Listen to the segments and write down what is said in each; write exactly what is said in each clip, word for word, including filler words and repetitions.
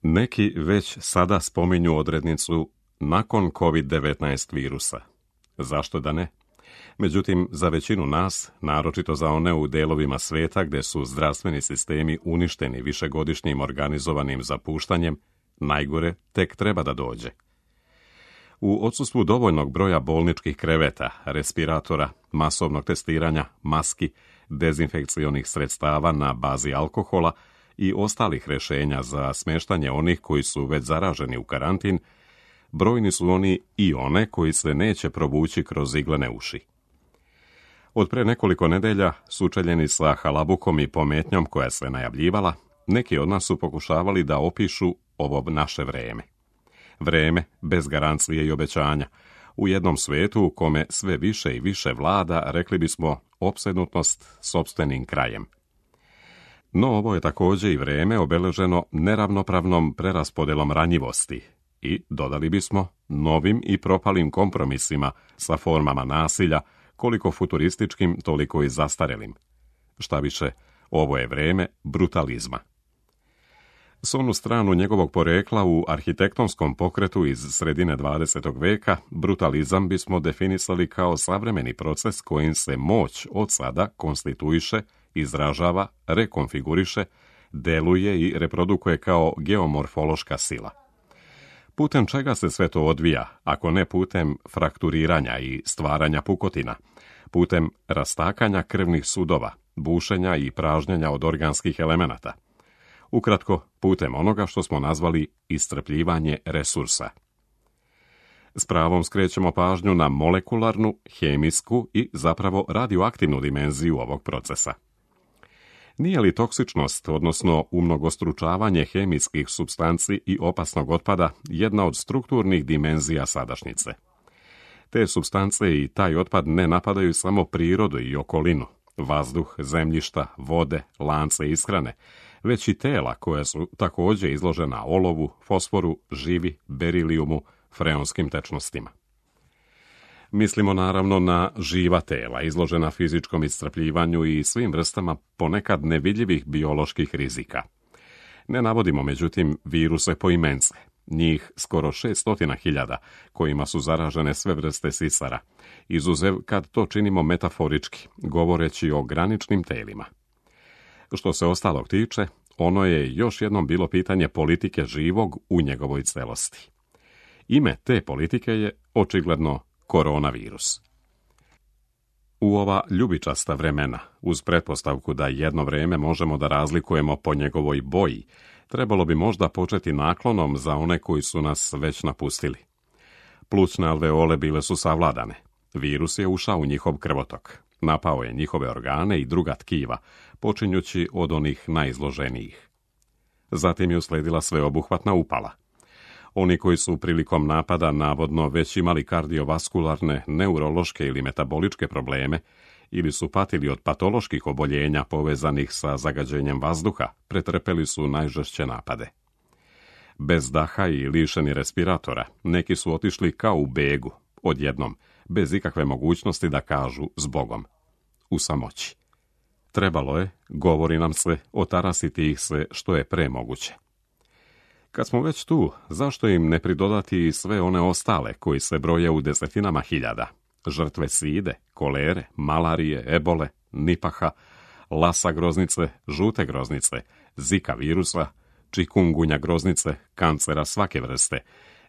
Neki već sada spominju odrednicu nakon kovid devetnaest virusa. Zašto da ne? Međutim, za većinu nas, naročito za one u delovima sveta gdje su zdravstveni sistemi uništeni višegodišnjim organizovanim zapuštanjem, najgore tek treba da dođe. U odsustvu dovoljnog broja bolničkih kreveta, respiratora, masovnog testiranja, maski, dezinfekcionih sredstava na bazi alkohola i ostalih rješenja za smještanje onih koji su već zaraženi u karantin, brojni su oni i one koji se neće provući kroz iglene uši. Od pre nekoliko nedelja, sučeljeni sa halabukom i pometnjom koja se najavljivala, neki od nas su pokušavali da opišu ovo naše vreme. Vreme bez garancije i obećanja, u jednom svijetu u kome sve više i više vlada, rekli bismo, opsednutost sopstvenim krajem. No ovo je također i vreme obeleženo neravnopravnom preraspodelom ranjivosti i, dodali bismo, novim i propalim kompromisima sa formama nasilja, koliko futurističkim, toliko i zastarelim. Šta više, ovo je vreme brutalizma. S onu stranu njegovog porekla u arhitektonskom pokretu iz sredine dvadesetog veka, brutalizam bismo definisali kao savremeni proces kojim se moć od sada konstituiše, izražava, rekonfiguriše, deluje i reprodukuje kao geomorfološka sila. Putem čega se sve to odvija, ako ne putem frakturiranja i stvaranja pukotina, putem rastakanja krvnih sudova, bušenja i pražnjenja od organskih elemenata. Ukratko, putem onoga što smo nazvali iscrpljivanje resursa. S pravom skrećemo pažnju na molekularnu, hemijsku i zapravo radioaktivnu dimenziju ovog procesa. Nije li toksičnost, odnosno umnogostručavanje hemijskih supstanci i opasnog otpada, jedna od strukturnih dimenzija sadašnjice? Te supstance i taj otpad ne napadaju samo prirodu i okolinu, vazduh, zemljišta, vode, lance ishrane, već i tela koja su također izložena olovu, fosforu, živi, berilijumu, freonskim tečnostima. Mislimo naravno na živa tela, izložena fizičkom iscrpljivanju i svim vrstama ponekad nevidljivih bioloških rizika. Ne navodimo, međutim, viruse poimence, njih skoro šeststotina hiljada, kojima su zaražene sve vrste sisara, izuzev kad to činimo metaforički, govoreći o graničnim telima. Što se ostalog tiče, ono je još jednom bilo pitanje politike živog u njegovoj celosti. Ime te politike je očigledno koronavirus. U ova ljubičasta vremena, uz pretpostavku da jedno vreme možemo da razlikujemo po njegovoj boji, trebalo bi možda početi naklonom za one koji su nas već napustili. Plućne alveole bile su savladane. Virus je ušao u njihov krvotok. Napao je njihove organe i druga tkiva, počinjući od onih najizloženijih. Zatim je usledila sveobuhvatna upala. Oni koji su prilikom napada navodno već imali kardiovaskularne, neurološke ili metaboličke probleme ili su patili od patoloških oboljenja povezanih sa zagađenjem vazduha, pretrpeli su najžešće napade. Bez daha i lišeni respiratora, neki su otišli kao u begu, odjednom, bez ikakve mogućnosti da kažu zbogom. U samoći. Trebalo je, govori nam se, otarasiti ih se što je pre moguće. Kad smo već tu, zašto im ne pridodati i sve one ostale koji se broje u desetinama hiljada? Žrtve side, kolere, malarije, ebole, nipaha, lasa groznice, žute groznice, zika virusa, čikungunja groznice, kancera svake vrste,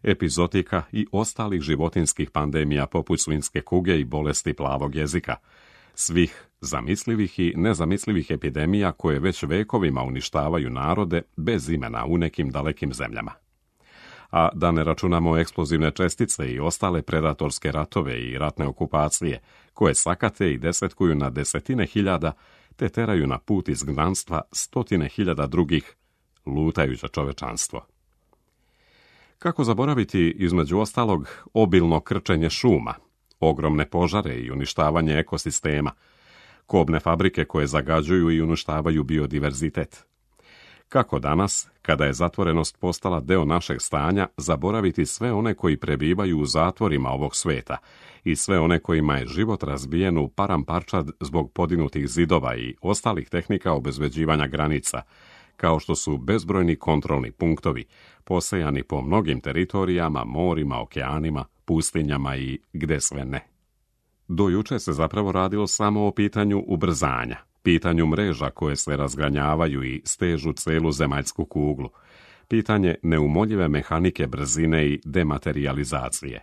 epizotika i ostalih životinskih pandemija poput svinjske kuge i bolesti plavog jezika, svih zamislivih i nezamislivih epidemija koje već vekovima uništavaju narode bez imena u nekim dalekim zemljama. A da ne računamo eksplozivne čestice i ostale predatorske ratove i ratne okupacije, koje sakate i desetkuju na desetine hiljada, te teraju na put izgnanstva stotine hiljada drugih, lutajuće čovečanstvo. Kako zaboraviti, između ostalog, obilno krčenje šuma, ogromne požare i uništavanje ekosistema, kobne fabrike koje zagađuju i uništavaju biodiverzitet. Kako danas, kada je zatvorenost postala deo našeg stanja, zaboraviti sve one koji prebivaju u zatvorima ovog sveta i sve one kojima je život razbijen u paramparčad zbog podigutih zidova i ostalih tehnika obezbeđivanja granica, kao što su bezbrojni kontrolni punktovi, posejani po mnogim teritorijama, morima, okeanima, pustinjama i gde sve ne. Do juče se zapravo radilo samo o pitanju ubrzanja, pitanju mreža koje se razgranjavaju i stežu celu zemaljsku kuglu, pitanje neumoljive mehanike brzine i dematerijalizacije.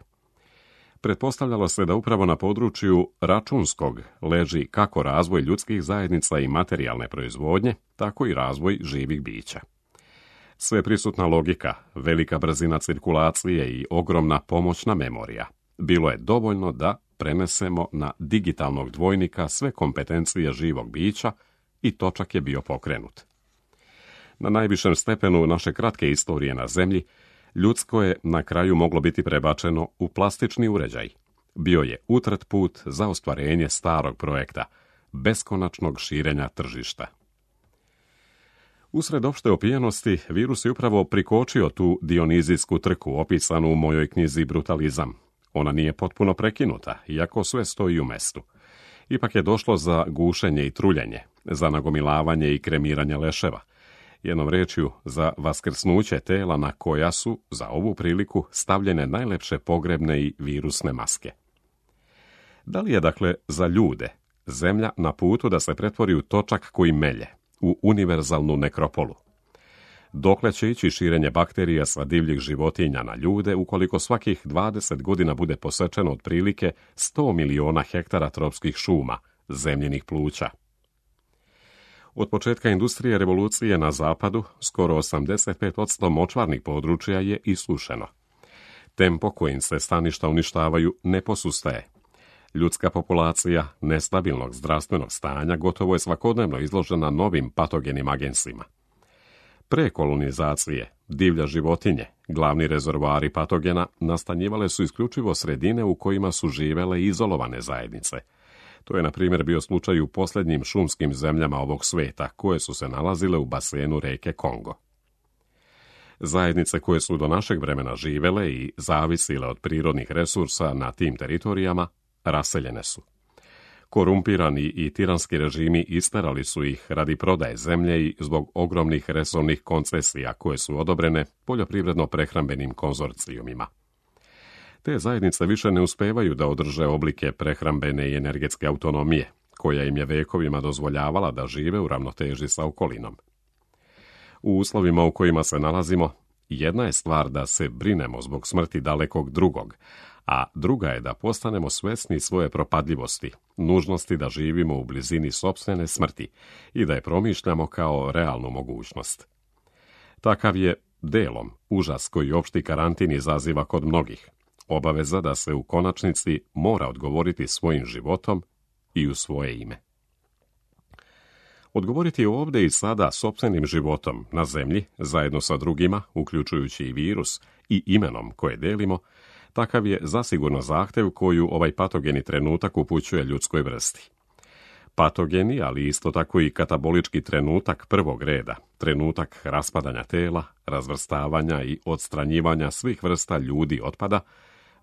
Pretpostavljalo se da upravo na području računskog leži kako razvoj ljudskih zajednica i materijalne proizvodnje, tako i razvoj živih bića. Sveprisutna logika, velika brzina cirkulacije i ogromna pomoćna memorija. Bilo je dovoljno da prenesemo na digitalnog dvojnika sve kompetencije živog bića i točak je bio pokrenut. Na najvišem stepenu naše kratke istorije na Zemlji, ljudsko je na kraju moglo biti prebačeno u plastični uređaj. Bio je utrt put za ostvarenje starog projekta, beskonačnog širenja tržišta. Usred opšte opijenosti, virus je upravo prikočio tu dionizijsku trku opisanu u mojoj knjizi Brutalizam. Ona nije potpuno prekinuta, iako sve stoji u mestu. Ipak je došlo za gušenje i truljenje, za nagomilavanje i kremiranje leševa. Jednom rečju, za vaskrsnuće tela na koja su, za ovu priliku, stavljene najlepše pogrebne i virusne maske. Da li je, dakle, za ljude Zemlja na putu da se pretvori u točak koji melje, u univerzalnu nekropolu? Dokle će ići širenje bakterija sa divljih životinja na ljude ukoliko svakih dvadeset godina bude posečeno otprilike sto miliona hektara tropskih šuma, zemljinih pluća? Od početka industrije revolucije na zapadu, skoro osamdeset pet posto močvarnih područja je isušeno. Tempo kojim se staništa uništavaju ne posustaje. Ljudska populacija nestabilnog zdravstvenog stanja gotovo je svakodnevno izložena novim patogenim agensima. Pre kolonizacije, divlja životinje, glavni rezervoari patogena, nastanjivale su isključivo sredine u kojima su živele izolovane zajednice. To je, na primjer, bio slučaj u posljednjim šumskim zemljama ovog sveta, koje su se nalazile u basenu reke Kongo. Zajednice koje su do našeg vremena živele i zavisile od prirodnih resursa na tim teritorijama, raseljene su. Korumpirani i tiranski režimi isterali su ih radi prodaje zemlje i zbog ogromnih resornih koncesija koje su odobrene poljoprivredno-prehrambenim konzorcijumima. Te zajednice više ne uspevaju da održe oblike prehrambene i energetske autonomije, koja im je vekovima dozvoljavala da žive u ravnoteži sa okolinom. U uslovima u kojima se nalazimo, jedna je stvar da se brinemo zbog smrti dalekog drugog, a druga je da postanemo svesni svoje propadljivosti, nužnosti da živimo u blizini sopstvene smrti i da je promišljamo kao realnu mogućnost. Takav je delom užas koji opšti karantin izaziva kod mnogih, obaveza da se u konačnici mora odgovoriti svojim životom i u svoje ime. Odgovoriti ovdje i sada sopstvenim životom na zemlji, zajedno sa drugima, uključujući i virus, i imenom koje delimo, takav je zasigurno zahtev koju ovaj patogeni trenutak upućuje ljudskoj vrsti. Patogeni, ali isto tako i katabolički trenutak prvog reda, trenutak raspadanja tela, razvrstavanja i odstranjivanja svih vrsta ljudi otpada,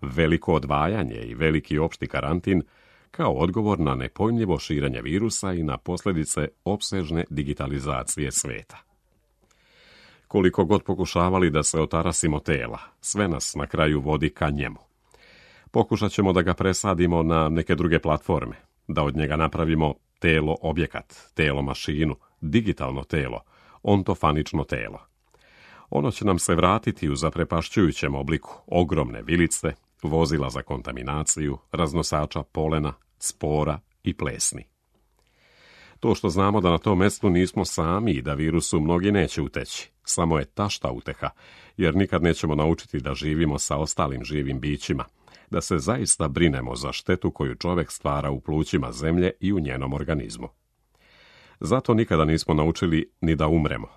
veliko odvajanje i veliki opšti karantin, kao odgovor na nepojmljivo širenje virusa i na posljedice opsežne digitalizacije sveta. Koliko god pokušavali da se otarasimo tela, sve nas na kraju vodi ka njemu. Pokušat ćemo da ga presadimo na neke druge platforme, da od njega napravimo telo objekat, telo mašinu, digitalno telo, ontofanično telo. Ono će nam se vratiti u zaprepašćujućem obliku ogromne vilice, vozila za kontaminaciju, raznosača polena, spora i plesni. To što znamo da na tom mjestu nismo sami i da virusu mnogi neće uteći, samo je tašta uteha, jer nikad nećemo naučiti da živimo sa ostalim živim bićima, da se zaista brinemo za štetu koju čovjek stvara u plućima zemlje i u njenom organizmu. Zato nikada nismo naučili ni da umremo.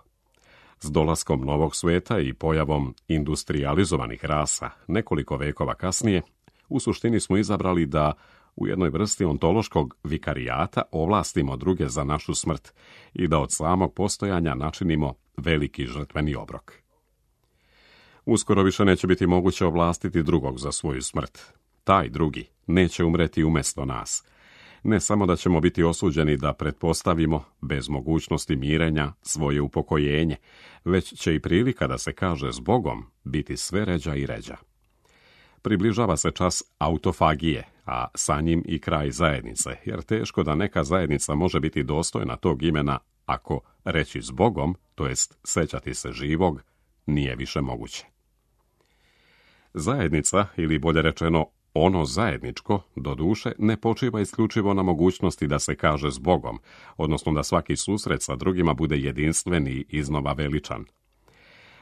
S dolaskom novog sveta i pojavom industrializovanih rasa nekoliko vekova kasnije, u suštini smo izabrali da u jednoj vrsti ontološkog vikarijata ovlastimo druge za našu smrt i da od samog postojanja načinimo veliki žrtveni obrok. Uskoro više neće biti moguće ovlastiti drugog za svoju smrt. Taj drugi neće umreti umjesto nas. Ne samo da ćemo biti osuđeni da pretpostavimo, bez mogućnosti mirenja, svoje upokojenje, već će i prilika da se kaže s Bogom biti sve ređa i ređa. Približava se čas autofagije, a sa njim i kraj zajednice, jer teško da neka zajednica može biti dostojna tog imena ako reći s Bogom, to jest sećati se živog, nije više moguće. Zajednica, ili bolje rečeno ono zajedničko, doduše, ne počiva isključivo na mogućnosti da se kaže s Bogom, odnosno da svaki susret sa drugima bude jedinstven i iznova veličan.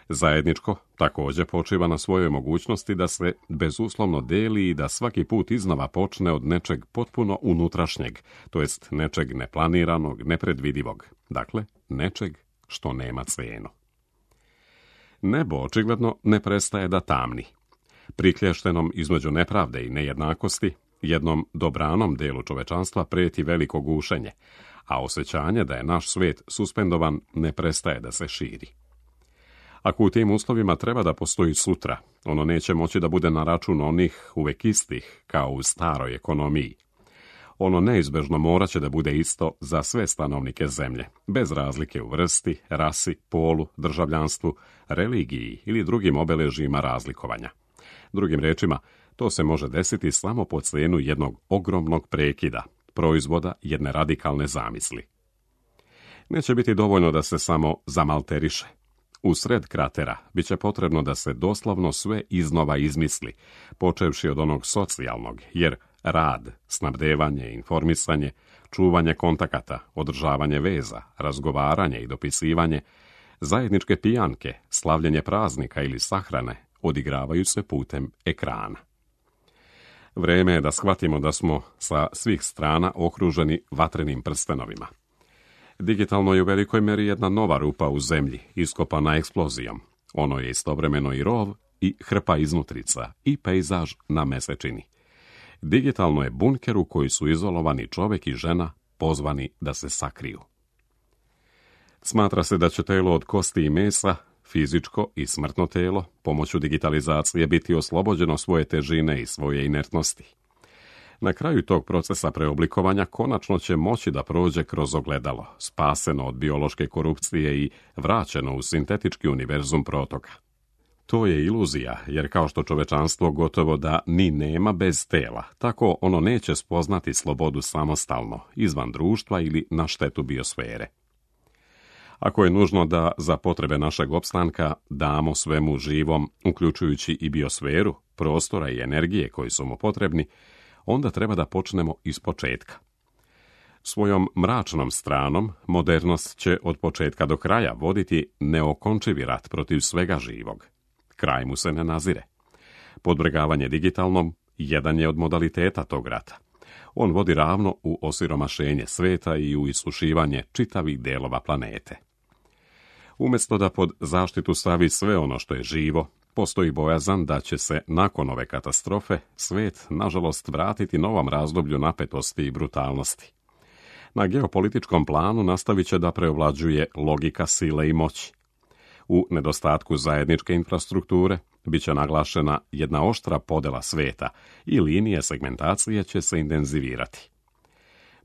Zajedničko također počiva na svojoj mogućnosti da se bezuslovno deli i da svaki put iznova počne od nečeg potpuno unutrašnjeg, to jest nečeg neplaniranog, nepredvidivog, dakle nečeg što nema cenu. Nebo očigledno ne prestaje da tamni. Priklještenom između nepravde i nejednakosti, jednom dobranom delu čovečanstva prijeti veliko gušenje, a osjećanje da je naš svijet suspendovan ne prestaje da se širi. Ako u tim uslovima treba da postoji sutra, ono neće moći da bude na račun onih uvek istih, kao u staroj ekonomiji. Ono neizbežno morat će da bude isto za sve stanovnike zemlje, bez razlike u vrsti, rasi, polu, državljanstvu, religiji ili drugim obeležjima razlikovanja. Drugim rečima, to se može desiti samo po cijenu jednog ogromnog prekida, proizvoda jedne radikalne zamisli. Neće biti dovoljno da se samo zamalteriše. U sred kratera bit će potrebno da se doslovno sve iznova izmisli, počevši od onog socijalnog, jer rad, snabdevanje, informisanje, čuvanje kontakata, održavanje veza, razgovaranje i dopisivanje, zajedničke pijanke, slavljenje praznika ili sahrane odigravaju se putem ekrana. Vreme je da shvatimo da smo sa svih strana okruženi vatrenim prstenovima. Digitalno je u velikoj meri jedna nova rupa u zemlji, iskopana eksplozijom. Ono je istovremeno i rov, i hrpa iznutrica, i pejzaž na mesečini. Digitalno je bunker u koji su izolovani čovjek i žena pozvani da se sakriju. Smatra se da će telo od kosti i mesa, fizičko i smrtno telo, pomoću digitalizacije biti oslobođeno svoje težine i svoje inertnosti. Na kraju tog procesa preoblikovanja konačno će moći da prođe kroz ogledalo, spaseno od biološke korupcije i vraćeno u sintetički univerzum protoka. To je iluzija, jer kao što čovečanstvo gotovo da ni nema bez tela, tako ono neće spoznati slobodu samostalno, izvan društva ili na štetu biosfere. Ako je nužno da za potrebe našeg opstanka damo svemu živom, uključujući i biosferu, prostora i energije koji su mu potrebni, onda treba da počnemo iz početka. Svojom mračnom stranom modernost će od početka do kraja voditi neokončivi rat protiv svega živog. Kraj mu se ne nazire. Podvrgavanje digitalnom jedan je od modaliteta tog rata. On vodi ravno u osiromašenje sveta i u isušivanje čitavih delova planete. Umjesto da pod zaštitu stavi sve ono što je živo, postoji bojazan da će se nakon ove katastrofe svet, nažalost, vratiti novom razdoblju napetosti i brutalnosti. Na geopolitičkom planu nastavit će da preovlađuje logika sile i moći. U nedostatku zajedničke infrastrukture bit će naglašena jedna oštra podela sveta i linije segmentacije će se intenzivirati.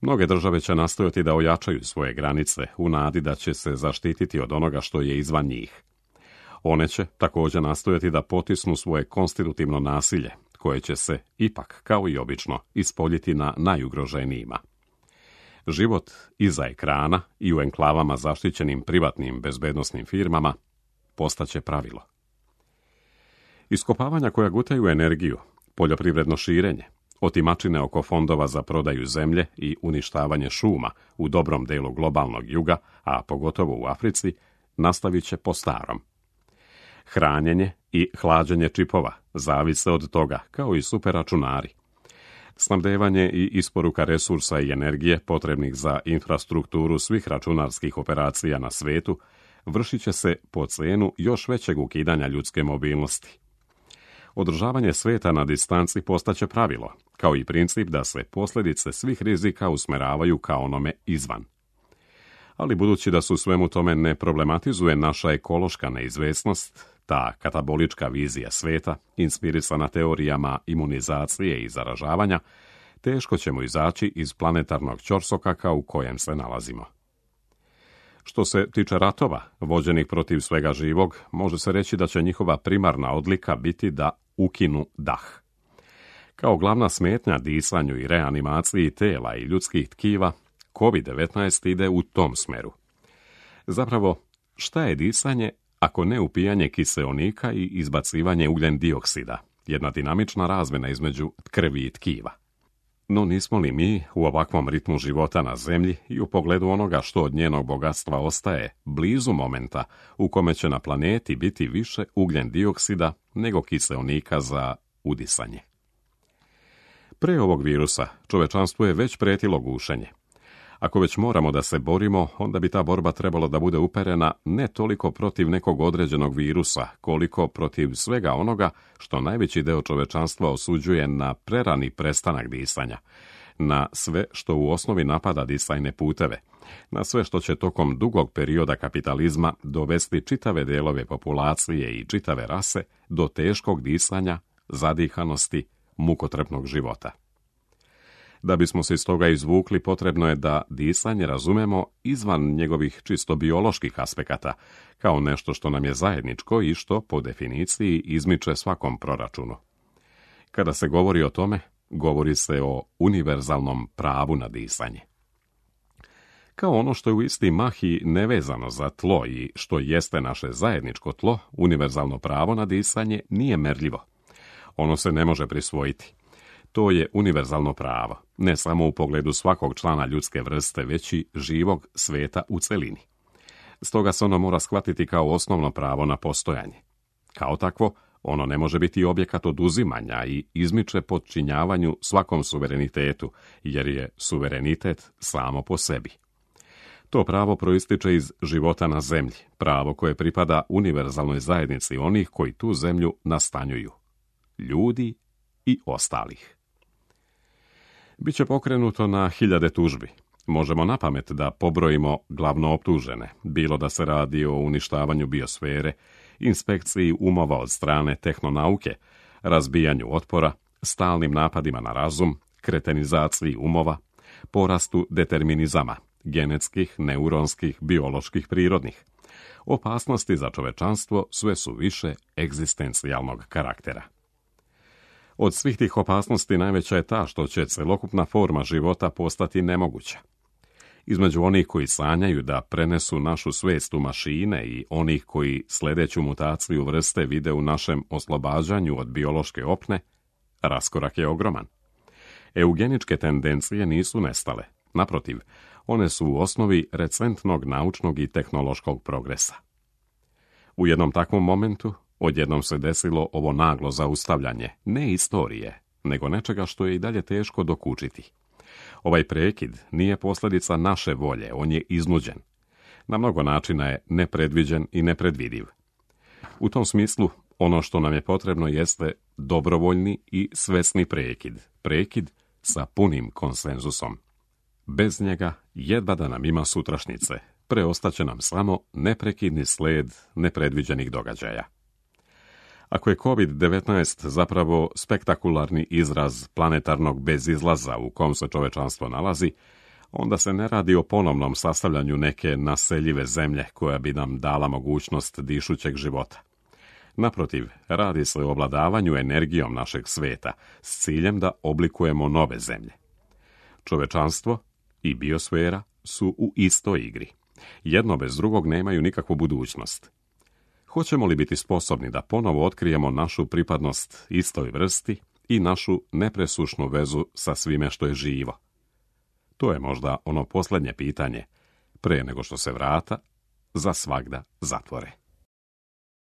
Mnoge države će nastojati da ojačaju svoje granice u nadi da će se zaštititi od onoga što je izvan njih. One će također nastojati da potisnu svoje konstitutivno nasilje, koje će se, ipak, kao i obično, ispoljiti na najugroženijima. Život iza ekrana i u enklavama zaštićenim privatnim bezbednosnim firmama postaće pravilo. Iskopavanja koja gutaju energiju, poljoprivredno širenje, otimačine oko fondova za prodaju zemlje i uništavanje šuma u dobrom delu globalnog juga, a pogotovo u Africi, nastavit će po starom. Hranjenje i hlađenje čipova zavise od toga, kao i superračunari. Snabdevanje i isporuka resursa i energije potrebnih za infrastrukturu svih računarskih operacija na svetu vršit će se po cijenu još većeg ukidanja ljudske mobilnosti. Održavanje sveta na distanci postaće pravilo, kao i princip da se posljedice svih rizika usmeravaju ka onome izvan. Ali budući da su svemu tome ne problematizuje naša ekološka neizvesnost, ta katabolička vizija sveta, inspirisana teorijama imunizacije i zaražavanja, teško ćemo izaći iz planetarnog ćorsokaka u kojem se nalazimo. Što se tiče ratova, vođenih protiv svega živog, može se reći da će njihova primarna odlika biti da ukinu dah. Kao glavna smetnja disanju i reanimaciji tela i ljudskih tkiva, kovid devetnaest ide u tom smeru. Zapravo, šta je disanje ako ne upijanje kiseonika i izbacivanje ugljen dioksida, jedna dinamična razmjena između krvi i tkiva? No nismo li mi u ovakvom ritmu života na zemlji i u pogledu onoga što od njenog bogatstva ostaje blizu momenta u kome će na planeti biti više ugljen dioksida nego kiseonika za udisanje? Pre ovog virusa čovečanstvo je već pretilo gušenje. Ako već moramo da se borimo, onda bi ta borba trebalo da bude uperena ne toliko protiv nekog određenog virusa, koliko protiv svega onoga što najveći deo čovečanstva osuđuje na prerani prestanak disanja, na sve što u osnovi napada disajne puteve, na sve što će tokom dugog perioda kapitalizma dovesti čitave delove populacije i čitave rase do teškog disanja, zadihanosti, mukotrpnog života. Da bismo se iz toga izvukli, potrebno je da disanje razumemo izvan njegovih čisto bioloških aspekata, kao nešto što nam je zajedničko i što, po definiciji, izmiče svakom proračunu. Kada se govori o tome, govori se o univerzalnom pravu na disanje. Kao ono što je u isti mah i nevezano za tlo i što jeste naše zajedničko tlo, univerzalno pravo na disanje nije merljivo. Ono se ne može prisvojiti. To je univerzalno pravo, ne samo u pogledu svakog člana ljudske vrste, već i živog sveta u celini. Stoga se ono mora shvatiti kao osnovno pravo na postojanje. Kao takvo, ono ne može biti objekat oduzimanja i izmiče podčinjavanju svakom suverenitetu, jer je suverenitet samo po sebi. To pravo proističe iz života na zemlji, pravo koje pripada univerzalnoj zajednici onih koji tu zemlju nastanjuju, ljudi i ostalih. Biće pokrenuto na hiljade tužbi. Možemo napamet da pobrojimo glavno optužene, bilo da se radi o uništavanju biosfere, inspekciji umova od strane tehnonauke, razbijanju otpora, stalnim napadima na razum, kretenizaciji umova, porastu determinizama, genetskih, neuronskih, bioloških, prirodnih. Opasnosti za čovečanstvo sve su više egzistencijalnog karaktera. Od svih tih opasnosti najveća je ta što će celokupna forma života postati nemoguća. Između onih koji sanjaju da prenesu našu svest u mašine i onih koji sledeću mutaciju vrste vide u našem oslobađanju od biološke opne, raskorak je ogroman. Eugeničke tendencije nisu nestale. Naprotiv, one su u osnovi recentnog naučnog i tehnološkog progresa. U jednom takvom momentu odjednom se desilo ovo naglo zaustavljanje, ne istorije, nego nečega što je i dalje teško dokučiti. Ovaj prekid nije posljedica naše volje, on je iznuđen. Na mnogo načina je nepredviđen i nepredvidiv. U tom smislu, ono što nam je potrebno jeste dobrovoljni i svesni prekid, prekid sa punim konsenzusom. Bez njega jedva da nam ima sutrašnjice, preostaće nam samo neprekidni sled nepredviđenih događaja. Ako je kovid devetnaest zapravo spektakularni izraz planetarnog bezizlaza u kom se čovečanstvo nalazi, onda se ne radi o ponovnom sastavljanju neke naseljive zemlje koja bi nam dala mogućnost dišućeg života. Naprotiv, radi se o ovladavanju energijom našeg sveta s ciljem da oblikujemo nove zemlje. Čovečanstvo i biosfera su u istoj igri. Jedno bez drugog nemaju nikakvu budućnost. Hoćemo li biti sposobni da ponovo otkrijemo našu pripadnost istoj vrsti i našu nepresušnu vezu sa svime što je živo? To je možda ono posljednje pitanje, pre nego što se vrata za svagda zatvore.